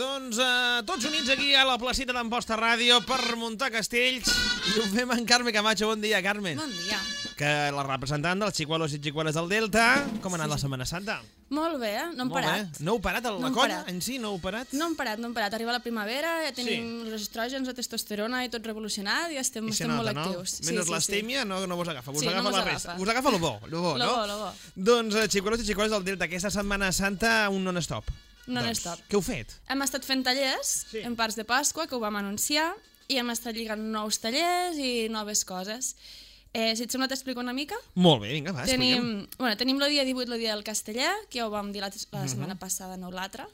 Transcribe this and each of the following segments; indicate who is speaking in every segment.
Speaker 1: Doncs tots units aquí a la placita d'Amposta Ràdio per muntar castells i ho fem amb Carme Camacho. Bon dia, Carme.
Speaker 2: Bon dia.
Speaker 1: Que la representant dels xicuelos i xicueles del Delta. Com ha anat la Setmana Santa?
Speaker 2: Molt bé, no hem parat.
Speaker 1: No heu parat la colla en si? No heu parat?
Speaker 2: No hem parat. Arriba la primavera, ja tenim els estrògens, la testosterona i tot revolucionat i estem molt actius.
Speaker 1: Menys l'astèmia no vos agafa, us agafa la resta. Us agafa lo bo, no?
Speaker 2: Lo bo.
Speaker 1: Doncs xicuelos i xicueles del Delta, aquesta Setmana Santa un non-stop.
Speaker 2: Non-stop.
Speaker 1: Què heu fet?
Speaker 2: Hem estat fent tallers en parts de Pasqua, que ho vam anunciar, i hem estat lligant nous tallers i noves coses. Si et sembla t'explico una mica?
Speaker 1: Molt bé, vinga, va, expliquem.
Speaker 2: Tenim el dia 18, el dia del casteller, que ja ho vam dir la setmana passada, no l'altra,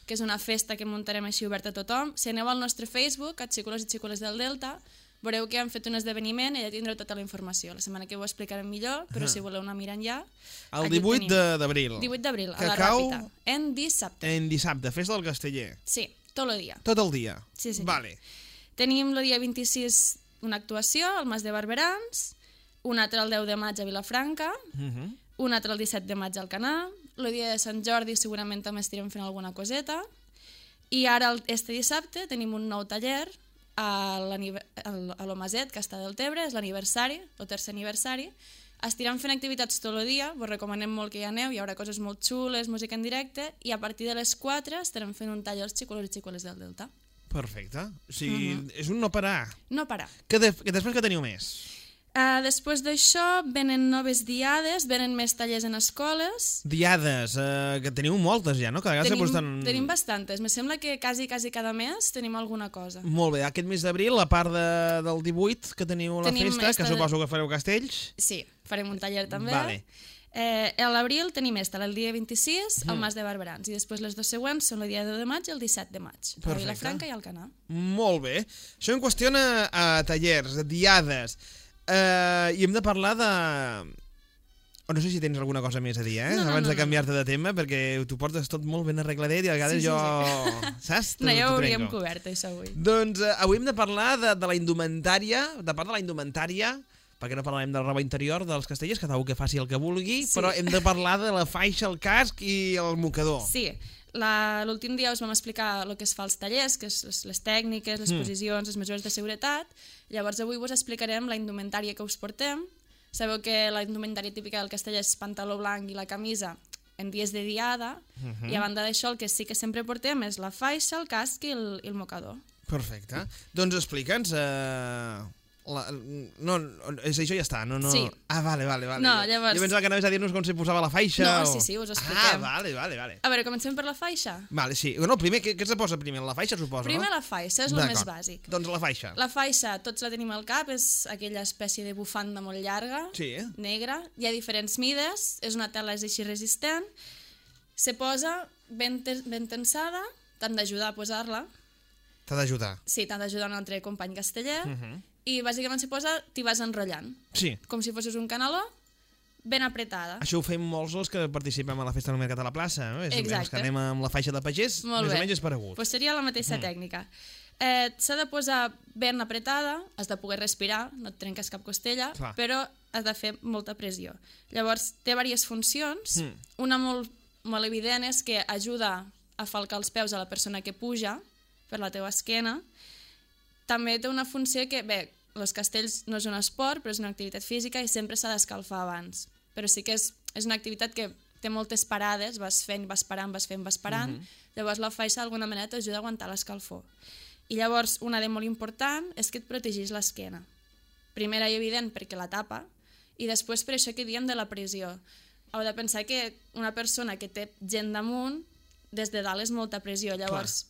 Speaker 2: que és una festa que muntarem així oberta a tothom. Si aneu al nostre Facebook, a Xicuelos i Xicueles del Delta, veureu que hem fet un esdeveniment i ja tindreu tota la informació. La setmana que ho explicarem millor, però si voleu anar mirant ja...
Speaker 1: El 18 d'abril.
Speaker 2: 18 d'abril, a la Ràpita. En dissabte.
Speaker 1: En dissabte, festa del casteller.
Speaker 2: Sí, tot el dia.
Speaker 1: Tot el dia?
Speaker 2: Sí.
Speaker 1: Vale.
Speaker 2: Tenim el dia 26 una actuació al Mas de Barberans, una altra el 10 de maig a Vilafranca, una altra el 17 de maig al Canà, el dia de Sant Jordi segurament també estirem fent alguna coseta, i ara este dissabte tenim un nou taller a l'Omaset, que està del Tebre, és l'aniversari, el tercer aniversari. Estirem fent activitats tot el dia, vos recomanem molt que hi aneu, hi haurà coses molt xules, música en directe, i a partir de les 4 estarem fent un tall als xicuelos i xicueles del Delta.
Speaker 1: Perfecte. O sigui, és un no parar.
Speaker 2: No parar.
Speaker 1: Que després que teniu més?
Speaker 2: Després d'això venen noves diades, venen més tallers en escoles.
Speaker 1: Diades, que teniu moltes ja, no?
Speaker 2: Tenim bastantes, me sembla que quasi cada mes tenim alguna cosa.
Speaker 1: Molt bé, aquest mes d'abril, a part del 18 que teniu la festa, que suposo que fareu castells.
Speaker 2: Sí, farem un taller també.
Speaker 1: Vale.
Speaker 2: A l'abril tenim el dia 26 al Mas de Barberans i després les dues següents són el dia 10 de maig i el 17 de maig, a Vilafranca i al Canà.
Speaker 1: Molt bé. Això en qüestió a tallers, a diades. I hem de parlar de... No sé si tens alguna cosa més a dir, abans de canviar-te de tema, perquè t'ho portes tot molt ben arregladet i a vegades jo... Saps?
Speaker 2: No, ja ho hauríem cobert, això, avui.
Speaker 1: Doncs avui hem de parlar de la indumentària, perquè no parlarem de la roba interior dels castellers, que que faci el que vulgui, però hem de parlar de la faixa, el casc i el mocador.
Speaker 2: Sí, l'últim dia us vam explicar el que es fa als tallers, que és les tècniques, les posicions, les mesures de seguretat. Llavors avui vos explicarem la indumentària que us portem. Sabeu que la indumentària típica del casteller és pantaló blanc i la camisa en dies de diada, i a banda d'això el que sí que sempre portem és la faixa, el casc i el mocador.
Speaker 1: Perfecte. Doncs explica'ns... No, és això ja està, no?
Speaker 2: Sí.
Speaker 1: Vale.
Speaker 2: No, llavors...
Speaker 1: Jo pensava que anaves a dir-nos com s'hi posava la faixa.
Speaker 2: No, sí, us ho expliquem.
Speaker 1: Vale.
Speaker 2: A veure, comencem per la faixa?
Speaker 1: Vale, sí. No, primer, què se posa primer? La faixa, suposo, no?
Speaker 2: Primer la faixa, és el més bàsic.
Speaker 1: Doncs la faixa.
Speaker 2: La faixa, tots la tenim al cap, és aquella espècie de bufanda molt llarga, negra. Hi ha diferents mides, és una tela així resistent. Se posa ben tensada, t'han d'ajudar a posar-la.
Speaker 1: T'ha d'ajudar?
Speaker 2: Sí, t'han d'ajudar un altre company casteller. I bàsicament se posa, t'hi vas enrotllant.
Speaker 1: Sí.
Speaker 2: Com si fossis un canaló, ben apretada.
Speaker 1: Això ho fem molts els que participem a la festa del Mercat a la plaça, no?
Speaker 2: Exacte.
Speaker 1: Els que anem amb la faixa de pagès, més o menys és paregut.
Speaker 2: Pues seria la mateixa tècnica. S'ha de posar ben apretada, has de poder respirar, no et trenques cap costella, però has de fer molta pressió. Llavors, té diverses funcions. Una molt evident és que ajuda a falcar els peus a la persona que puja per la teva esquena. També té una funció que, bé, els castells no és un esport, però és una activitat física i sempre s'ha d'escalfar abans. Però sí que és una activitat que té moltes parades, vas fent, vas parant. Llavors la faixa d'alguna manera t'ajuda a aguantar l'escalfor. I llavors una de molt important és que et protegeix l'esquena. Primera i evident perquè la tapa, i després per això que diem de la pressió. Heu de pensar que una persona que té gent damunt, des de dalt és molta pressió. Llavors,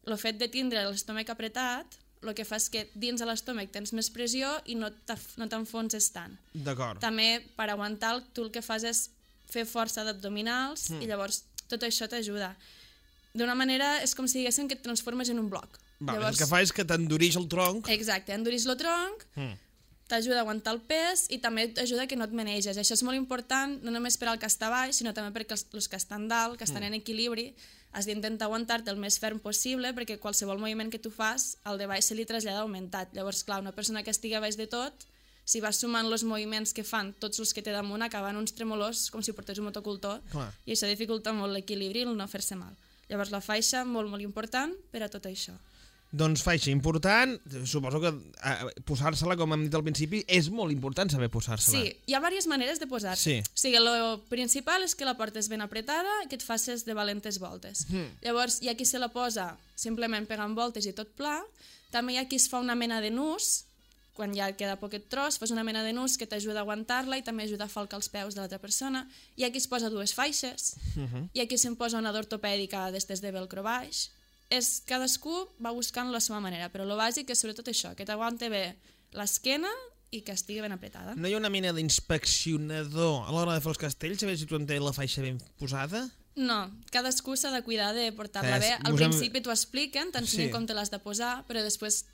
Speaker 2: el fet de tindre l'estómac apretat el que fa és que dins de l'estómac tens més pressió i no t'enfonses tant.
Speaker 1: D'acord.
Speaker 2: També, per aguantar, tu el que fas és fer força d'abdominals i llavors tot això t'ajuda. D'una manera és com si diguéssim que et transformes en un bloc.
Speaker 1: El que fa és que t'endureix el tronc.
Speaker 2: Exacte, endureix el tronc, t'ajuda a aguantar el pes i també t'ajuda que no et maneges. Això és molt important, no només per al que està baix, sinó també perquè els que estan dalt, que estan en equilibri, has d'intentar aguantar-te el més ferm possible perquè qualsevol moviment que tu fas, al de baix se li trasllada augmentat. Llavors, clar, una persona que estigui a baix de tot, si vas sumant els moviments que fan tots els que té damunt, acaben uns tremolors com si portés un motocultor i això dificulta molt l'equilibri i el no fer-se mal. Llavors la faixa, molt, molt important per a tot això.
Speaker 1: Doncs faixa important, suposo que posar-se-la, com hem dit al principi, és molt important saber posar-se-la.
Speaker 2: Sí, hi ha diverses maneres de posar-se.
Speaker 1: Sí.
Speaker 2: O sigui, el principal és que la portes ben apretada i que et facis de valentes voltes. Llavors, hi ha qui se la posa simplement pegant voltes i tot pla. També hi ha qui es fa una mena de nus, quan ja queda poquet tros, fas una mena de nus que t'ajuda a aguantar-la i també ajuda a falcar els peus de l'altra persona. Hi ha qui es posa dues faixes, hi ha qui se'n posa una d'ortopèdica d'estes de velcro baix. Cadascú va buscant la seva manera, però el bàsic és sobretot això, que t'aguante bé l'esquena i que estigui ben apretada.
Speaker 1: No hi ha una mena d'inspeccionador a l'hora de fer els castells, a veure si tu en tens la faixa ben posada?
Speaker 2: No, cadascú s'ha de cuidar de portar-la bé. Al principi t'ho expliquen, t'ensenyen com te l'has de posar, però després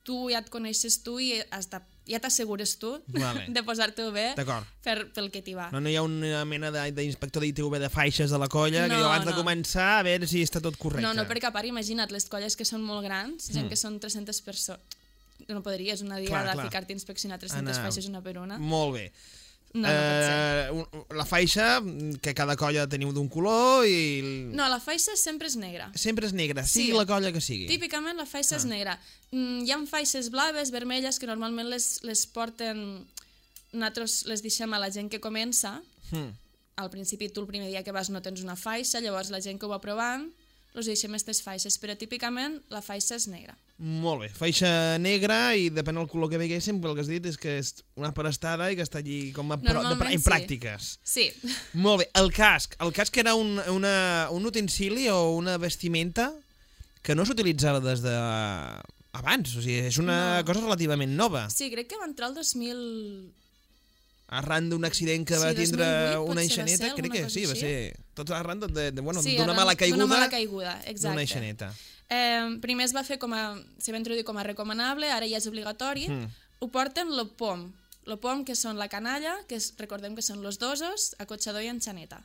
Speaker 2: tu ja et coneixes tu i ja t'assegures tu de posar-t'ho bé pel que t'hi va.
Speaker 1: No hi ha una mena d'inspector d'ITV de faixes de la colla que abans de començar a veure si està tot correcte.
Speaker 2: No, perquè a part, imagina't, les colles que són molt grans, gent que són 300 persones, no podries una diada ficar-te a inspeccionar 300 faixes una per una.
Speaker 1: Molt bé.
Speaker 2: No pot ser.
Speaker 1: La faixa, que cada colla teniu d'un color i...
Speaker 2: No, la faixa sempre és negra.
Speaker 1: Sempre és negra, sigui la colla que sigui.
Speaker 2: Típicament la faixa és negra. Hi ha faixes blaves, vermelles, que normalment les porten... Nosaltres les deixem a la gent que comença. Al principi tu el primer dia que vas no tens una faixa, llavors la gent que ho va provant els deixem aquestes faixes, però típicament la faixa és negra.
Speaker 1: Molt bé, faixa negra i depèn del color que veiéssim, pel que has dit és que és una prestada i que està allí com a en pràctiques.
Speaker 2: Sí.
Speaker 1: Molt bé, el casc era un utensili o una vestimenta que no s'utilitzava des de abans, o sigui, és una cosa relativament nova.
Speaker 2: Sí, crec que va entrar el 2000...
Speaker 1: Arran d'un accident que va tindre una enxaneta, crec que sí, va ser tot arran d'una mala caiguda.
Speaker 2: D'una mala caiguda, exacte.
Speaker 1: D'una enxaneta.
Speaker 2: Primer es va fer se va introduir com a recomanable, ara ja és obligatori. Ho porten lo pom, que són la canalla, que recordem que són los dosos, acotxador i enxaneta.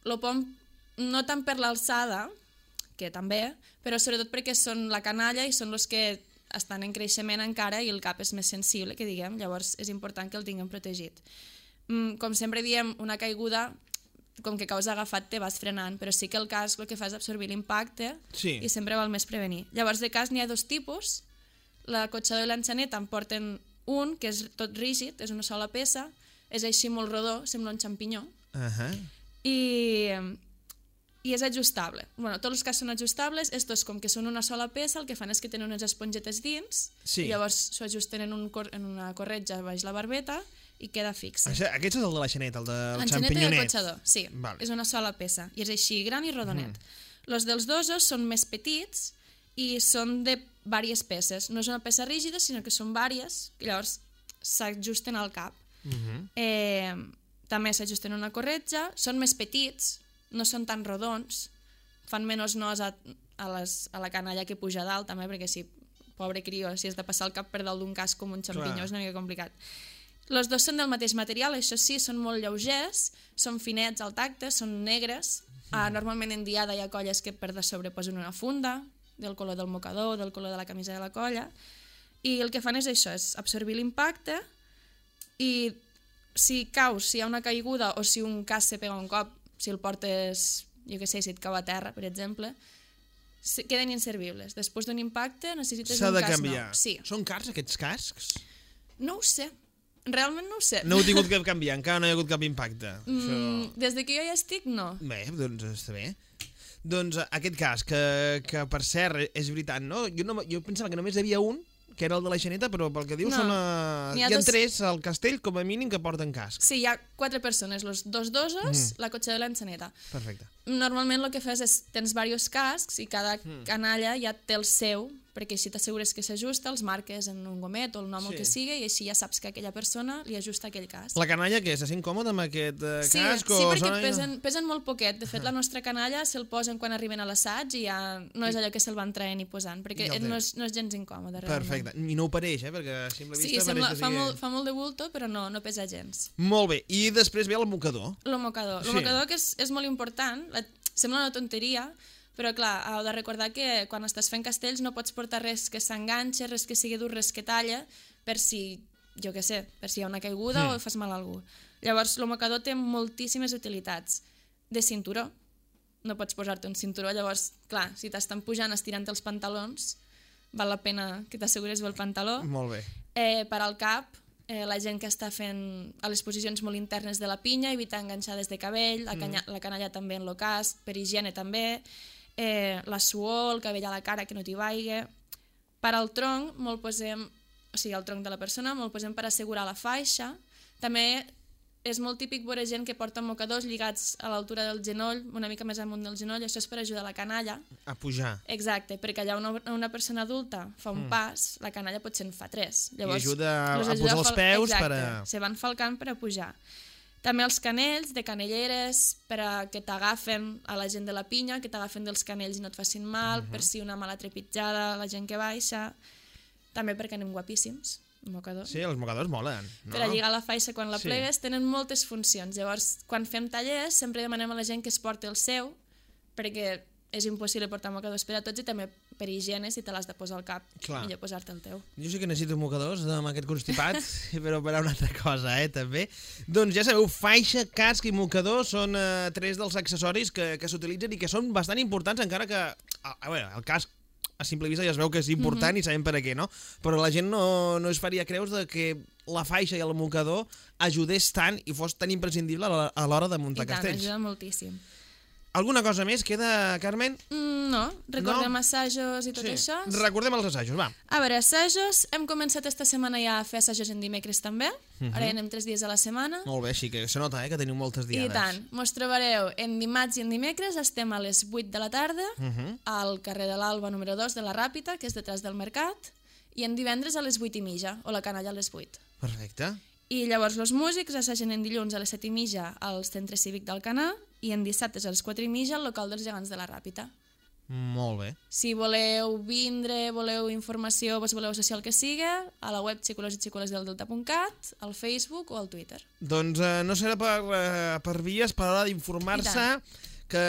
Speaker 2: Lo pom no tant per l'alçada, que també, però sobretot perquè són la canalla i són els que estan en creixement encara i el cap és més sensible, que diguem, llavors és important que el tinguem protegit. Com sempre diem, una caiguda, com que caus agafat, te vas frenant, però sí que el casc el que fa és absorbir l'impacte i sempre val més prevenir. Llavors de casc n'hi ha dos tipus, l'acotxador i l'enxaneta en porten un, que és tot rígid, és una sola peça, és així molt rodó, sembla un xampinyó, i és ajustable. Tots els cascs són ajustables, estos com que són una sola peça, el que fan és que tenen unes espongetes dins, i llavors s'ho ajusten en una corretja baix la barbeta i queda fixe.
Speaker 1: Aquest és el de la xaneta, el del xampinyonet.
Speaker 2: L'enxaneta i el cotxador, sí, és una sola peça, i és així, gran i rodonet. Els dels dosos són més petits i són de diverses peces, no és una peça rígida, sinó que són diverses, i llavors s'ajusten al cap. També s'ajusten una corretja, són més petits, no són tan rodons, fan menys nos a la canalla que puja dalt, també, perquè si, pobre crió, si has de passar el cap per dalt d'un casc com un xampinyó és una mica complicat. Els dos són del mateix material, això sí, són molt lleugers, són finets al tacte, són negres. Normalment en diada hi ha colles que per de sobre posen una funda, del color del mocador, del color de la camisa de la colla, i el que fan és això, és absorbir l'impacte, i si caus, si hi ha una caiguda o si un casc se pega un cop, si el portes, jo què sé, si et cau a terra, per exemple, queden inservibles. Després d'un impacte necessites un casc nou.
Speaker 1: S'ha de canviar.
Speaker 2: Sí.
Speaker 1: Són cars aquests cascs?
Speaker 2: No ho sé. Realment no ho sé.
Speaker 1: No heu tingut que canviar, encara no hi ha hagut cap impacte.
Speaker 2: Des que jo hi estic, no.
Speaker 1: Bé, doncs està bé. Doncs aquest casc, que per cert, és veritat, no? Jo pensava que només hi havia un, que era el de la xaneta, però pel que dius hi ha tres al castell, com a mínim, que porten casc.
Speaker 2: Sí, hi ha 4 persones, els dos dosos, la cotxador i l'enxaneta.
Speaker 1: Perfecte.
Speaker 2: Normalment el que fas és, tens diversos cascs i cada canalla ja té el seu, perquè així t'assegures que s'ajusta, els marques en un gomet o el nom que sigui, i així ja saps que aquella persona li ajusta aquell casc.
Speaker 1: La canalla, què? Se sent còmode amb aquest casc?
Speaker 2: Sí, perquè pesen molt poquet. De fet, la nostra canalla se'l posen quan arriben a l'assaig i ja no és allò que se'l van traient i posant, perquè no és gens incòmode.
Speaker 1: Perfecte. I no ho pareix, perquè a simple vista
Speaker 2: pareix que sigui... fa molt de bulto, però no pesa gens.
Speaker 1: Molt bé. I després ve el mocador.
Speaker 2: El mocador. El mocador, que és molt important, sembla una tonteria, però clar, heu de recordar que quan estàs fent castells no pots portar res que s'enganxa, res que sigui dur, res que talla, per si, jo què sé, per si hi ha una caiguda o fas mal a algú. Llavors, el mocador té moltíssimes utilitats. De cinturó. no pots posar-te un cinturó, llavors, clar, si t'estan pujant estirant els pantalons, val la pena que t'assegures bé el pantaló.
Speaker 1: Molt bé.
Speaker 2: Per al cap, la gent que està fent a les posicions molt internes de la pinya, evitar enganxades de cabell, la canalla també en el casc, per higiene també, la suor, el cabell a la cara que no t'hi vagi. Per al tronc, el tronc de la persona, molt posem per assegurar la faixa. També és molt típic veure gent que porta mocadors lligats a l'altura del genoll, una mica més amunt del genoll, això és per ajudar la canalla
Speaker 1: a pujar.
Speaker 2: Exacte, perquè allà una persona adulta fa un pas, la canalla potser en fa 3. Llavors,
Speaker 1: i ajuda a posar els peus.
Speaker 2: Exacte, se van falcant per a pujar. També els canells de canelleres, per a que t'agafen a la gent de la pinya, que t'agafen dels canells i no et facin mal, per si una mala trepitjada, la gent que baixa. També perquè anem guapíssims. Mocadors.
Speaker 1: Sí, els mocadors molen. No?
Speaker 2: Per a lligar la faixa quan la plegues, tenen moltes funcions. Llavors, quan fem tallers, sempre demanem a la gent que es porti el seu, perquè és impossible portar mocadors per a tots i també per higiene, si te l'has de posar al cap, millor posar-te el teu.
Speaker 1: Jo sí que necessito mocadors amb aquest constipat, però per a una altra cosa, també. Doncs ja sabeu, faixa, casc i mocador són 3 dels accessoris que s'utilitzen i que són bastant importants, encara que el casc a simple vista ja es veu que és important i sabem per a què, no? Però la gent no es faria creus que la faixa i el mocador ajudés tant i fos tan imprescindible a l'hora de muntar castells.
Speaker 2: I tant, ajuda moltíssim.
Speaker 1: Alguna cosa més queda, Carmen?
Speaker 2: No, recordem assajos i tot això.
Speaker 1: Recordem els assajos, va.
Speaker 2: A veure, assajos, hem començat esta setmana ja a fer assajos en dimecres també, ara ja anem 3 dies a la setmana.
Speaker 1: Molt bé, així que se nota que teniu moltes diades.
Speaker 2: I tant, mos trobareu en dimarts i en dimecres, estem a les 8 de la tarda, al carrer de l'Alba número 2 de la Ràpita, que és detrás del mercat, i en divendres a les 8:30, o la canalla a les 8.
Speaker 1: Perfecte.
Speaker 2: I llavors els músics assagen en dilluns a les 7:30 al Centre Cívic d'Alcanar i en dissabtes a les 4:30 al local dels Gegants de la Ràpita.
Speaker 1: Molt bé.
Speaker 2: Si voleu vindre, voleu informació, vos voleu associar el que siga, a la web xicolositxicolesdeldelta.cat, al Facebook o al Twitter.
Speaker 1: Doncs no serà per vies per a l'hora d'informar-se que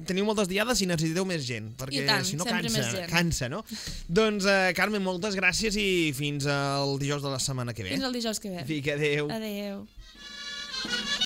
Speaker 1: teniu moltes diades i necessiteu més gent, perquè si no cansa, no? Doncs, Carmen, moltes gràcies i fins al dijous de la setmana que ve.
Speaker 2: Fins al dijous que ve.
Speaker 1: Vinga, adéu.
Speaker 2: Adéu.